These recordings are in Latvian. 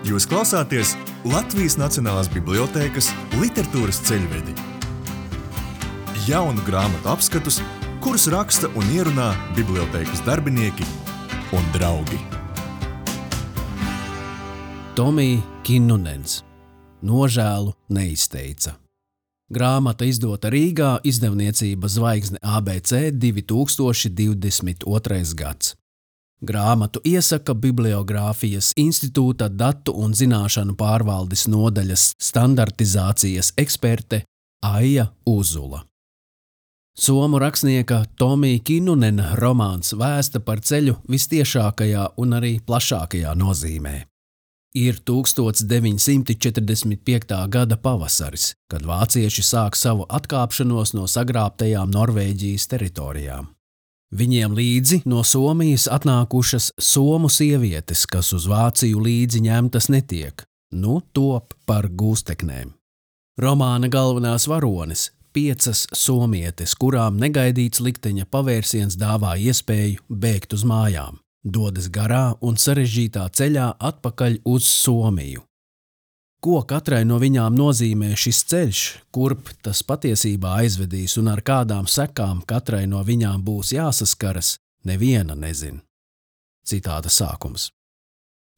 Jūs klausāties Latvijas Nacionālās bibliotēkas literatūras ceļvedi. Jaunu grāmatu apskatus, kurus raksta un ierunā bibliotēkas darbinieki un draugi. Tomī Kinnunens. Nožēlu neizteica. Grāmata izdota Rīgā, izdevniecība Zvaigzne ABC 2022. gads. Grāmatu iesaka Bibliogrāfijas institūta datu un zināšanu pārvaldes nodaļas standartizācijas eksperte Aija Uzula. Somu rakstnieka Tomī Kinnunena romāns vēsta par ceļu vistiešākajā un arī plašākajā nozīmē. Ir 1945. gada pavasaris, kad vācieši sāk savu atkāpšanos no sagrābtajām Norvēģijas teritorijām. Viņiem līdzi no Somijas atnākušas somu sievietes, kas uz Vāciju līdzi ņemtas netiek, top par gūsteknēm. Romāna galvenās varones – 5 somietes, kurām negaidīts likteņa pavērsiens dāvā iespēju bēgt uz mājām, dodas garā un sarežģītā ceļā atpakaļ uz Somiju. Ko katrai no viņām nozīmē šis ceļš, kurp tas patiesībā aizvedīs un ar kādām sekām katrai no viņām būs jāsaskaras, neviena nezin. Citāta sākums.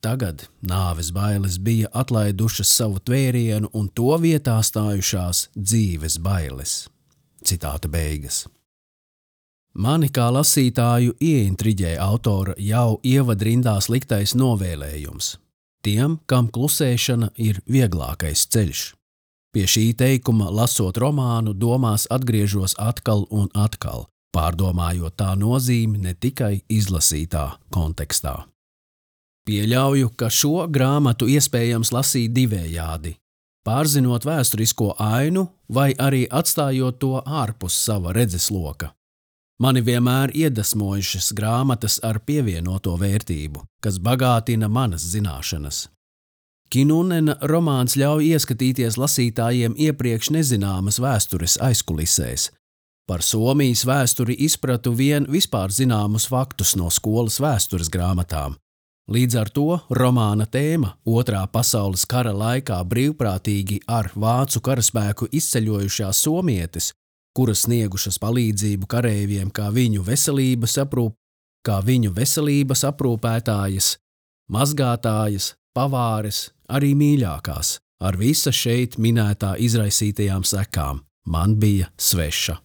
Tagad nāves bailes bija atlaidušas savu tvērienu un to vietā stājušās dzīves bailes. Citāta beigas. Mani kā lasītāju ieintriģē autora jau ievadrindās liktais novēlējums. Tiem, kam klusēšana ir vieglākais ceļš. Pie šī teikuma, lasot romānu, domās atgriežos atkal un atkal, pārdomājot tā nozīmi ne tikai izlasītā kontekstā. Pieļauju, ka šo grāmatu iespējams lasīt divējādi, pārzinot vēsturisko ainu vai arī atstājot to ārpus sava redzesloka. Mani vienmēr iedvesmojušas grāmatas ar pievienoto vērtību, kas bagātina manas zināšanas. Kinnunena romāns ļauj ieskatīties lasītājiem iepriekš nezināmas vēstures aizkulisēs. Par Somijas vēsturi izpratu vien vispār zināmus faktus no skolas vēstures grāmatām. Līdz ar to romāna tēma Otrā pasaules kara laikā brīvprātīgi ar vācu karaspēku izceļojušās somietes, kuras sniegušas palīdzību kareiviem kā viņu veselības aprūpētājas, mazgātājas, pavāres, arī mīļākās, ar visa šeit minētā izraisītajām sekām, man bija sveša.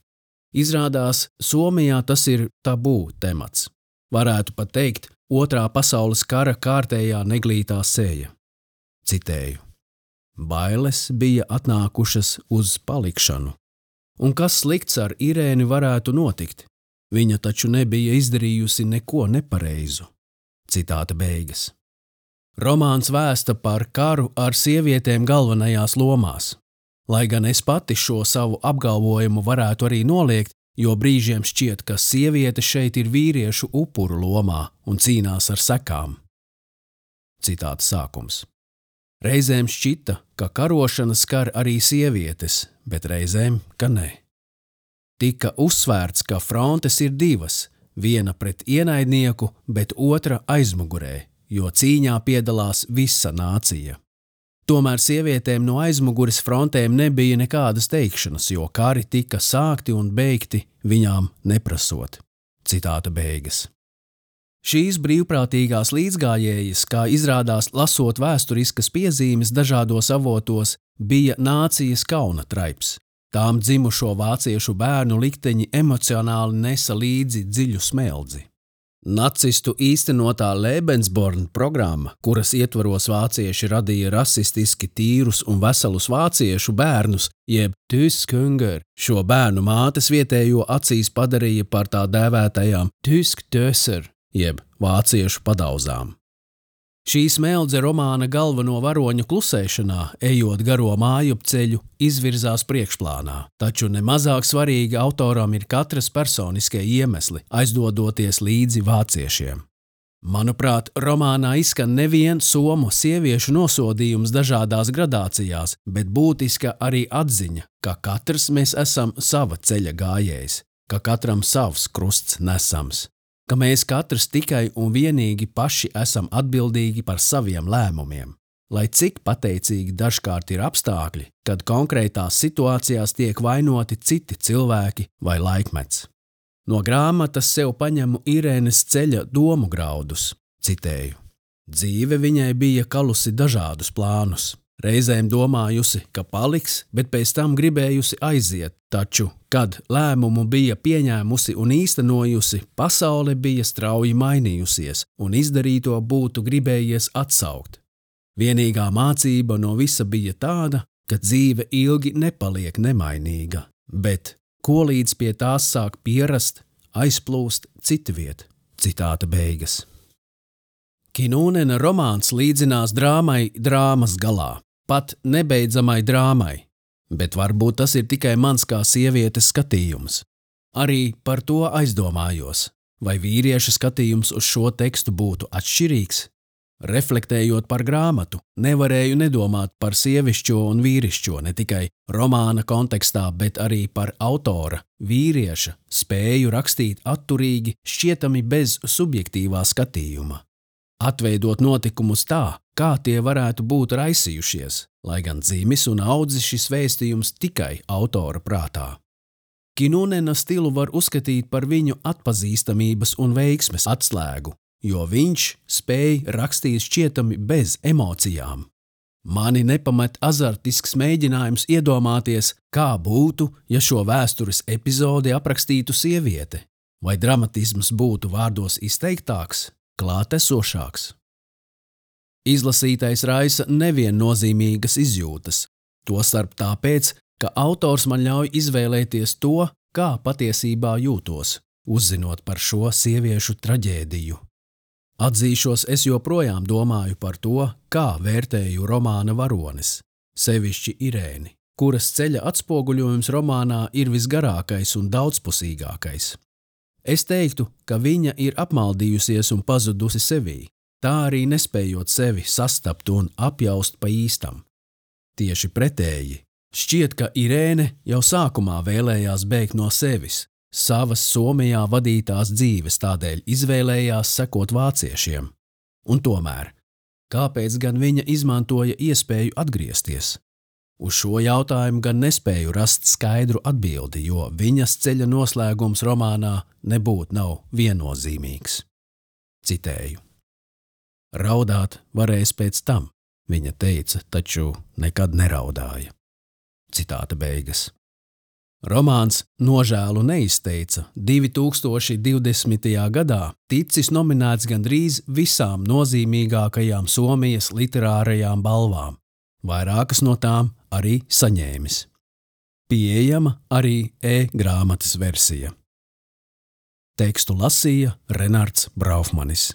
Izrādās, Somijā tas ir tabū temats. Varētu pat teikt, Otrā pasaules kara kārtējā neglītā sēja. Citēju. Bailes bija atnākušas uz palikšanu. Un kas slikts ar Irēni varētu notikt? Viņa taču nebija izdarījusi neko nepareizu. Citāta beigas. Romāns vēsta par karu ar sievietēm galvenajās lomās. Lai gan es pati šo savu apgalvojumu varētu arī noliegt, jo brīžiem šķiet, ka sieviete šeit ir vīriešu upuru lomā un cīnās ar sekām. Citāta sākums. Reizēm šķita, ka karošana skar arī sievietes, bet reizēm, ka ne. Tika uzsvērts, ka frontes ir divas, viena pret ienaidnieku, bet otra aizmugurē, jo cīņā piedalās visa nācija. Tomēr sievietēm no aizmugures frontēm nebija nekādas teikšanas, jo kari tika sākti un beigti viņām neprasot. Citāta beigas. Šīs brīvprātīgās līdzgājējas, kā izrādās lasot vēsturiskas piezīmes dažādos avotos, bija nācijas kauna traips. Tām dzimušo vāciešu bērnu likteņi emocionāli nesa līdzi dziļu smeldzi. Nacistu īstenotā Lebensborn programma, kuras ietvaros vācieši radīja rasistiski tīrus un veselus vāciešu bērnus, jeb Tyskhunger, šo bērnu mātes vietējo acīs padarīja par tā dēvētajām Tyskdöser, jeb vāciešu padauzām. Šī smeldze romāna galveno varoņu klusēšanā, ejot garo mājupceļu, izvirzās priekšplānā, taču nemazāk svarīgi autoram ir katras personiskie iemesli, aizdodoties līdzi vāciešiem. Manuprāt, romānā izskan nevien somu sieviešu nosodījums dažādās gradācijās, bet būtiska arī atziņa, ka katrs mēs esam sava ceļa gājējs, ka katram savs krusts nesams. Ka mēs katrs tikai un vienīgi paši esam atbildīgi par saviem lēmumiem. lai cik pateicīgi dažkārt ir apstākļi, kad konkrētās situācijās tiek vainoti citi cilvēki vai laikmets. No grāmatas sev paņemu Irēnes Ceļa domu graudus, citēju. Dzīve viņai bija kalusi dažādus plānus. Reizēm domājusi, ka paliks, bet pēc tam gribējusi aiziet, taču, kad lēmumu bija pieņēmusi un īstenojusi, pasaule bija strauji mainījusies un izdarīto būtu gribējies atsaukt. Vienīgā mācība no visa bija tāda, ka dzīve ilgi nepaliek nemainīga, bet, ko līdz pie tās sāk pierast, aizplūst citviet. Citāta beigas. Kinūnena romāns līdzinās drāmai drāmas galā, pat nebeidzamai drāmai, bet varbūt tas ir tikai mans kā sievietes skatījums. Arī par to aizdomājos, vai vīrieša skatījums uz šo tekstu būtu atšķirīgs. Reflektējot par grāmatu, nevarēju nedomāt par sievišķo un vīrišķo ne tikai romāna kontekstā, bet arī par autora, vīrieša, spēju rakstīt atturīgi, šķietami bez subjektīvā skatījuma. Atveidot notikumus tā, kā tie varētu būt raisījušies, lai gan dzimis un audzis šis vēstījums tikai autora prātā. Kinūnena stilu var uzskatīt par viņu atpazīstamības un veiksmes atslēgu, jo viņš spēj rakstīt šķietami bez emocijām. Mani nepamet azartisks mēģinājums iedomāties, kā būtu, ja šo vēstures epizodi aprakstītu sieviete, vai dramatisms būtu vārdos izteiktāks, klātesošāks. Izlasītais raisa neviennozīmīgas izjūtas, tostarp tāpēc, ka autors man ļauj izvēlēties to, kā patiesībā jūtos, uzzinot par šo sieviešu traģēdiju. Atzīšos, es joprojām domāju par to, kā vērtēju romāna varonis, sevišķi Irēni, kuras ceļa atspoguļojums romānā ir visgarākais un daudzpusīgākais. Es teiktu, ka viņa ir apmaldījusies un pazudusi sevī, tā arī nespējot sevi sastapt un apjaust pa īstam. Tieši pretēji, šķiet, ka Irēne jau sākumā vēlējās bēgt no sevis, savas Somijā vadītās dzīves, tādēļ izvēlējās sekot vāciešiem. Un tomēr, kāpēc gan viņa izmantoja iespēju atgriezties? Uz šo jautājumu gan nespēju rast skaidru atbildi, jo viņas ceļa noslēgums romānā nebūtu nav viennozīmīgs. Citēju. Raudāt varēs pēc tam, viņa teica, taču nekad neraudāja. Citāta beigas. Romāns Nožēlu neizteica 2020. gadā ticis nominēts gandrīz visām nozīmīgākajām Somijas literārajām balvām, vairākas no tām arī saņēmis. Pieejama arī e-grāmatas versija. Tekstu lasīja Renards Braufmanis.